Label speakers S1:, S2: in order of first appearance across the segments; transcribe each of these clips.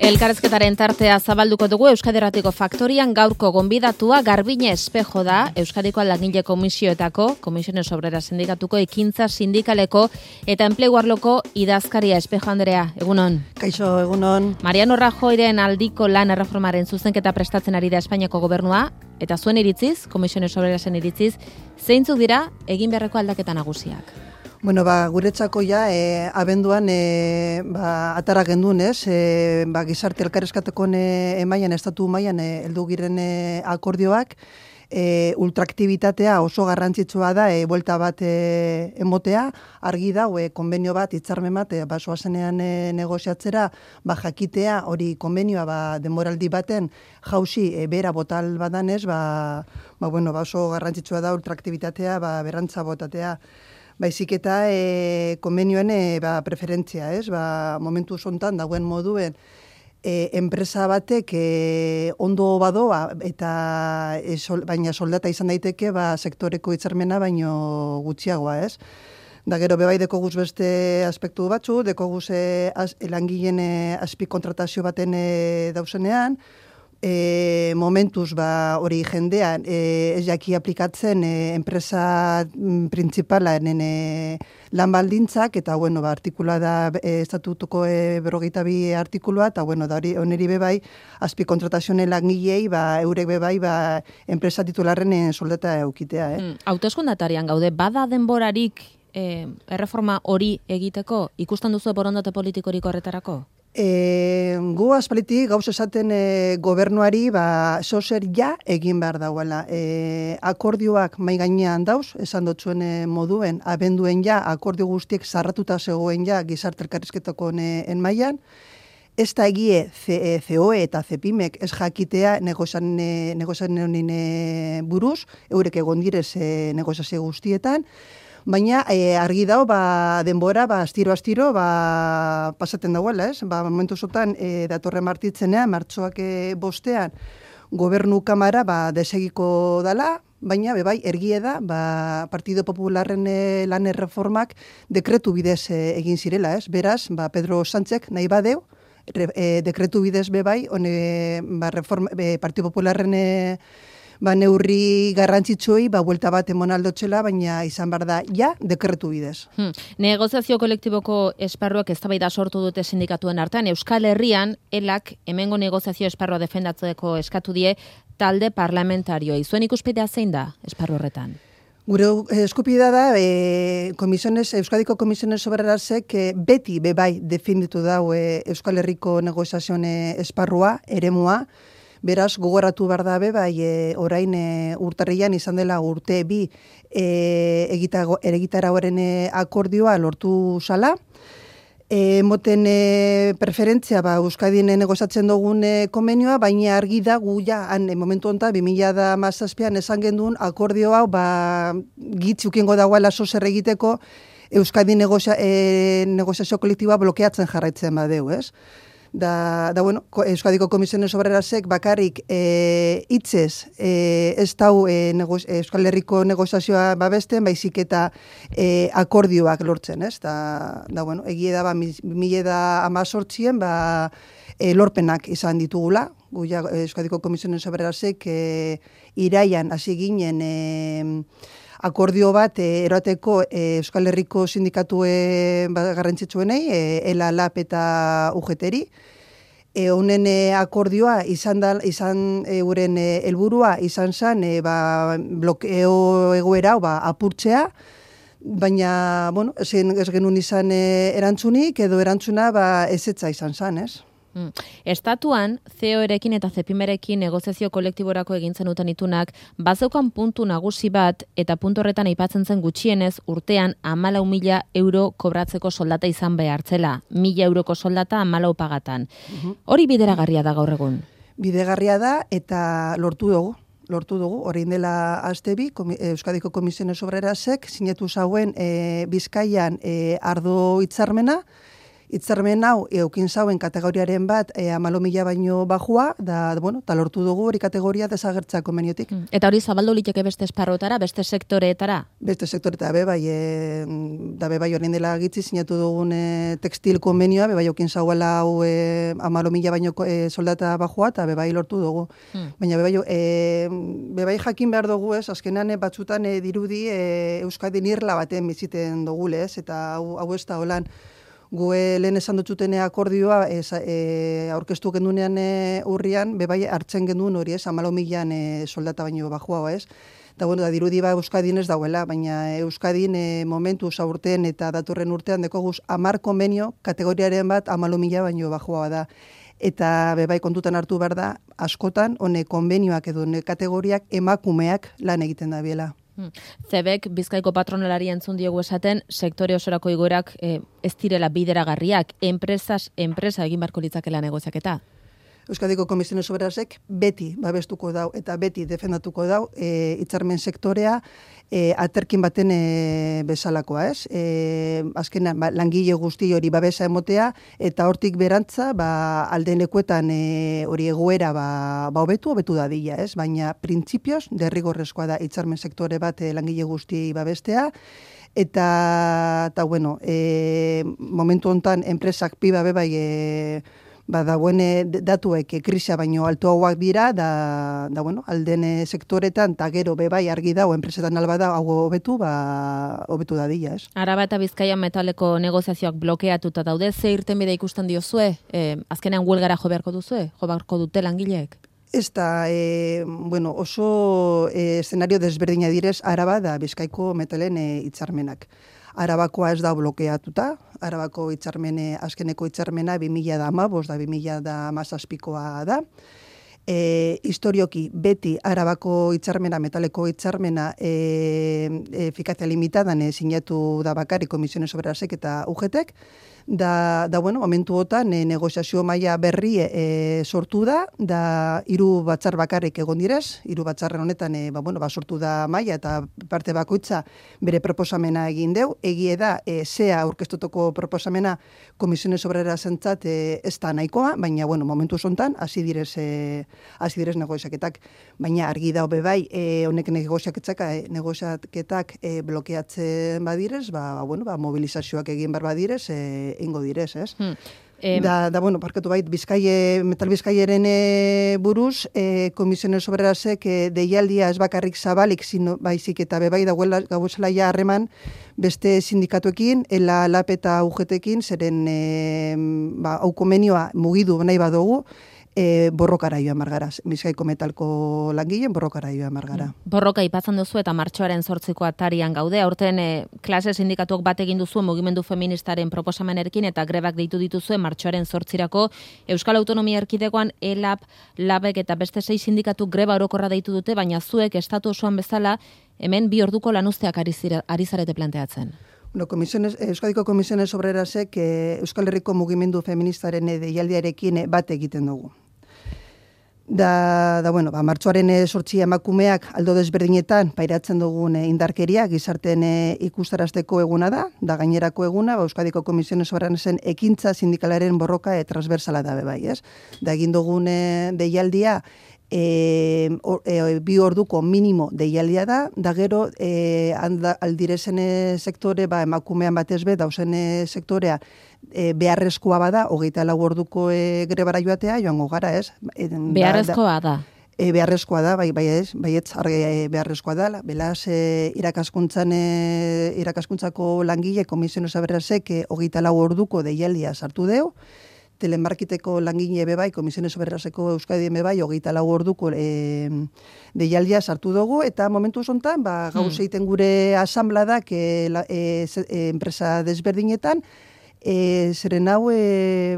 S1: Elkarrizketaren tartea zabalduko dugu Euskadi Irratiko Faktorian. Gaurko gonbidatua Garbine Espejo da, Euskadiko Langile Komisioetako, Comisiones Obreras Sindikatuko ekintza sindikaleko eta enplegu arloko idazkaria. Espejo Andrea, egunon.
S2: Kaixo, egunon.
S1: Mariano Rajoyren aldiko lan erreformaren zuzenketa prestatzen ari da Espainiako gobernua, eta zuen iritziz, Comisiones Obrerasen iritziz, zeintzuk dira egin beharreko aldaketa nagusiak?
S2: Bueno, guretzako ja, abenduan atara gendun, gizarte elkarrezkateko emaian, estatu mailan heldu giren akordioak, ultraaktibitatea oso garrantzitsua da, buelta bat emotea, argi da, konbenio bat, hitzarmen bat, basoazenean negoziatzera, jakitea, hori konbenioa denboraldi baten jauzi bera botal badanez, oso garrantzitsua da ultraaktibitatea, berrantza botatea. Baizik eta konbenioen preferentzia, momentu zontan dagoen moduen enpresa batek ondo badoa eta baina soldata izan daiteke sektoreko hitzarmena baino gutxiagoa, ez? Da gero bebai dekoguz beste aspektu batzu, dekoguz langileen azpikontratazio baten dauzenean, momentuz hori jendean ez jaki aplikatzen enpresa printzipalaren lan baldintzak, eta artikulua da estatutuko 42 artikulua, eta da hori oneri bebai azpikontratazioen langilei eurek bebai enpresa titularren soldata eukitea.
S1: Hauteskundatarian gaude, bada denborarik erreforma hori egiteko, ikusten duzu borondate politikorik horretarako?
S2: Gu aspalitik gauz esaten gobernuari zozer ja egin behar dauela. Akordioak mai gainean dauz, esan dotzuen moduen, abenduen ja, akordio guztiek zarratuta zegoen ja gizarte elkarrizketako mailan. Ez da egie COE eta CEPIMek ez jakitea negozian honin buruz, eurek egon direz negoziazio guztietan, baina argi dao denbora astiro pasaten dauela, ez? Momentu zotan datorren martitzenean, martxoak bostean, gobernu kamara desegiko dala, baina bebai ergie da Partido Popularren lan erreformak dekretu bidez egin zirela, ez? Beraz, Pedro Sánchek nahi badeu, dekretu bidez bebai, Partido Popularren neurri garrantzitsuei buelta bat emon aldotxela, baina izan behar da, dekretu bidez.
S1: Negoziazio kolektiboko esparruak eztabaida sortu dute sindikatuen artean. Euskal Herrian, elak hemengo negoziazio esparrua defendatzeko eskatu die talde parlamentarioi. Zuen ikuspidea zein da esparru horretan?
S2: Gure eskupidea da, Euskadiko Komisiones Obrerasek beti bebai defenditu dau Euskal Herriko negoziazioen esparrua, eremua. Beraz, gogoratu behar dabe, orain urtarrian izan dela urte bi egitarauaren akordioa lortu zala. Moten preferentzia Euskadin negozatzen dugun konbenioa, baina argi da gu momentu honetan 2017an esan genduen akordioa gitzukingo dagoela zozer egiteko Euskadin negoziazio kolektiboa blokeatzen jarraitzen badeu, ez? Euskadiko Komisiones Obrerasek bakarrik hitzez ez dau Euskal Herriko negoziazioa babesten, baizik eta akordioak lortzen, ez? Egie da 2018an lorpenak izan ditugula. Euskadiko Komisiones Obrerasek iraian hasi ginen akordio bat eroteko Euskal Herriko sindikatue garrantzitsuenei, ELA, LAP eta UGT-ri. Honen akordioa izan euren helburua izan zen blokeo egoera apurtzea, baina ez genuen izan erantzunik, edo erantzuna ezetza izan zen, ez?
S1: Estatuan, COerekin eta CEPIMerekin negoziazio kolektiborako egintzen duten itunak, bazeukan puntu nagusi bat eta puntu horretan aipatzen zen gutxienez urtean 14.000 euro kobratzeko soldata izan behartzela. 1.000 euroko soldata 14 pagatan. Hori bideragarria da gaur egun?
S2: Bidegarria da eta lortu dugu, orain dela astebi, Euskadiko Komisiones Obrerasek sinatu zauen Bizkaian ardo hitzarmena, Hitzarmen hau eukin zauen kategoriaren bat 14.000 baino bajua, da, bueno, talortu dugu hori kategoria desagertzea konbeniotik.
S1: Eta hori zabaldu liteke beste esparrotara, beste sektoreetara?
S2: Beste sektoreetara, da bebai orain dela gitzi sinatu dugun tekstil konbenioa, bebai eukin zauela hau 14.000 baino soldata bajua, eta bebai lortu dugu. Baina bebai jakin behar dugu, azkenan batzutan dirudi Euskadin irla baten biziten dugule, eta hau ez da holan. Gu lehen esan dutxutene akordioa aurkeztu gendunean urrian, bebai hartzen genduen hori, 14.000 soldata baino bajua, ez? Da, bueno, dirudi Euskadin ez dauela, baina Euskadin momentu zaurten eta datorren urtean dekoguz 10 konbenio kategoriaren bat 14.000 baino bajua da. Eta bebai kontutan hartu behar da, askotan, hone konbenioak edo kategoriak emakumeak lan egiten da biela.
S1: Zebek, Bizkaiko patronalari entzun diogu esaten, sektore osorako igoerak ez direla bideragarriak, enpresa egin barko litzakela negoziaketa?
S2: Euskadiko Komisiones Obrerasek beti babestuko dau eta beti defendatuko dau hitzarmen sektorea aterkin baten bezalakoa, ez? Azkenan langile guzti hori babesa emotea eta hortik berantza alden lekuetan hori egoera hobetu dadila, ez? Baina printzipioz derrigorrezkoa da hitzarmen sektore bat langile guzti babestea. Eta bueno, momentu hontan enpresak piba bebai dagoen datuek krisia baino altuagoak dira, bueno, alden sektoretan, eta gero bebai argi dago, enpresetan alba da, hau hobetu dadila, ez?
S1: Araba eta Bizkaia metaleko negoziazioak blokeatuta daude, ze irtenbide ikusten diozue? Azkenean huelgara jo beharko dute langileek?
S2: Ez da, bueno, oso eszenario desberdina direz Araba da Bizkaiko metalen hitzarmenak. Arabakoa ez da blokeatuta, Arabako hitzarmene, azkeneko hitzarmena 2015 da 2017koa da. Historioki beti Arabako hitzarmena, metaleko hitzarmena efikazia limitadan sinatu da bakarrik Komisiones Obrerasek eta UGTek. Da bueno, momentu hotan negoziazio maila berri sortu da 3 batzar bakarrik egon direz, 3 batzarren honetan sortu da maila eta parte bakoitza bere proposamena egin deu. Egie da, zea aurkeztutako proposamena Komisiones Obrerasentzat ez da nahikoa, baina bueno, momentu zontan hasi direz negoziaketak, baina argi da bai, honek negoziaketak blokeatzen badirez, mobilizazioak egin behar badirez, ingo direz, ez? Bueno, parkatu bait, Metal Bizkaiaren buruz, Komisiones Obrerasek deialdia ez bakarrik zabalik, baizik eta bebai dagoela gauzela ja harreman beste sindikatuekin, ELA, LAP eta UGTekin, zeren hau konbenioa mugidu nahi badugu, borrokara joan margara. Bizkaiko metalko langileen borrokara joan margara.
S1: Borroka ipatzen duzu eta martxoaren 8ko atarian gaude. Aurten klase sindikatuak bat egin duzu mugimendu feministaren proposamenekin eta grebak deitu dituzue martxoaren 8irako. Euskal Autonomia Erkidegoan ELAP, LABek eta beste 6 sindikatu greba orokorra deitu dute, baina zuek estatu osoan bezala hemen 2 orduko lanuzteak ari zarete planteatzen.
S2: Euskadiko Komisiones Obrerasek Euskal Herriko mugimendu feministaren deialdiarekin bat egiten dugu. Bueno, martxoaren 8 emakumeak aldo desberdinetan pairatzen dugun indarkeria gizarten ikustarazteko eguna da gainerako eguna, Euskadiko Komisiones Obrerasen ekintza sindikalaren borroka transversala da bebai, ez? Da egin dugun deialdia 2 orduko minimo deialdia da gero aldirezen sektore, emakumean batez dauzen sektorea beharrezkoa bada, 24 orduko grebara joatea, joango gara, ez?
S1: Beharrezkoa da?
S2: Beharrezkoa da, baietz, beharrezkoa da, belaz irakaskuntzako langile Komisiones Obrerasek 24 orduko deialdia sartu deu, telemarketeko langile bebai, Komisiones Obreraseko Euskadien bebai, 24 orduko deialdia sartu dugu, eta momentu zontan, gauz egiten gure asambladak enpresa desberdinetan, zeren hau,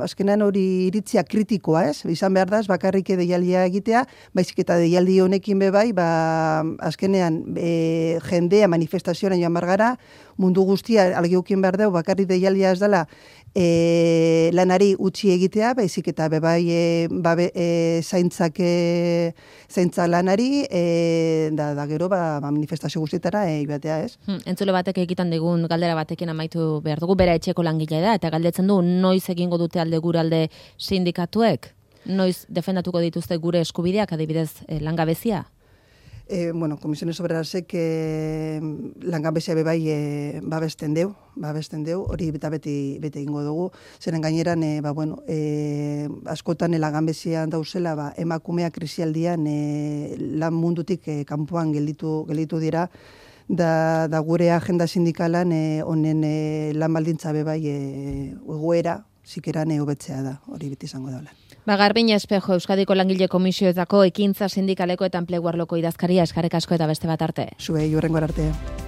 S2: azkenan hori iritzia kritikoa, ez? Izan behar da, bakarrik deialdia egitea, baizik eta deialdi honekin bebai, azkenean jendea manifestazioan joan margara, mundu guztia algeukin behar dugu, bakarrik deialdia ez dela lanari utzi egitea, baizik eta bebai zaintza lanari, da gero manifestazio guztietara joatea, ez?
S1: Entzule batek egiten digun galdera batekin amaitu behar dugu, bera etxeko langilea da, eta galdetzen du noiz egingo dute alde guralde sindikatuek? Noiz defendatuko dituzte gure eskubideak, adibidez langabezia?
S2: Komisiones Obrerasek langabezia bebai babesten deu, hori beti egingo dugu, zeren gaineran, askotan langabezian dauzela, emakumea krisialdian lan mundutik kanpoan gelditu dira, da gure agenda sindikalan honen lan baldintza bebai egoera, zikeran hobetzea da, hori beti izango daula.
S1: Garbin Espejo, Euskadiko Langile Komisioetako ekintza sindikaleko eta enplegu arloko idazkaria, eskerrik asko eta beste bat arte.
S2: Zuei, hurrengo arte.